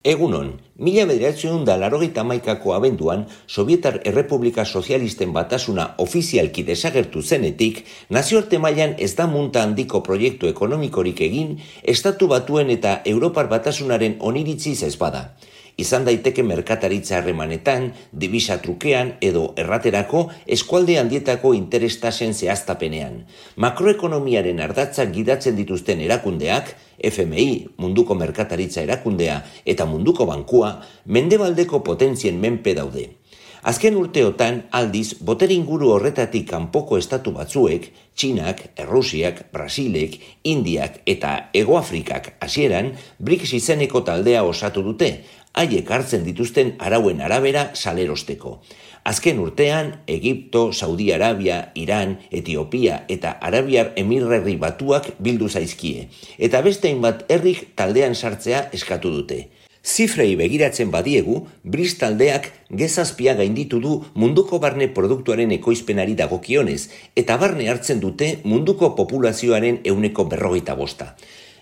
Egunon, 1981ko abenduan, Sobietar Errepublika Sozialisten Batasuna ofizialki desagertu zenetik, nazioarte mailan ez da munta handiko proiektu ekonomikorik egin, Estatu Batuen eta Europar Batasunaren oniritziz ez bada. Izan daiteke merkataritza harremanetan, dibisa trukean edo erraterako eskualde handietako interestasen zehaztapenean. Makroekonomiaren ardatzak gidatzen dituzten erakundeak, FMI, Munduko Merkataritza Erakundea eta Munduko Bankua, mendebaldeko potentzien menpe daude. Azken urteotan, aldiz, botere inguru horretatik kanpoko estatu batzuek, Txinak, Errusiak, Brasilek, Indiak eta Hegoafrikak hasieran, BRICS izeneko taldea osatu dute, haiek hartzen dituzten arauen arabera salerosteko. Azken urtean, Egipto, Saudi Arabia, Iran, Etiopia eta Arabiar Emirerri Batuak bildu zaizkie, eta beste hainbat herrik taldean sartzea eskatu dute. Zifrei begiratzen badiegu, BRICS taldeak gezazpia gainditu du munduko barne produktuaren ekoizpenari dagokionez, eta barne hartzen dute munduko populazioaren 45%.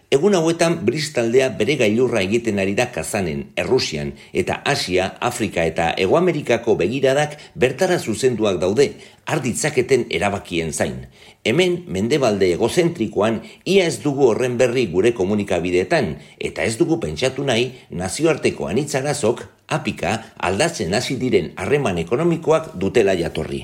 Egun hauetan BRICS taldea bere gailurra egiten ari da Kazanen, Errusian eta Asia, Afrika eta Hegoamerikako begiradak bertara zuzenduak daude, arditzaketen erabakien zain. Hemen, mendebalde egozentrikoan, ia ez dugu horren berri gure komunikabideetan, eta ez dugu pentsatu nahi nazioarteko anitzarazok, apika, aldatzen hasi diren harreman ekonomikoak dutela jatorri.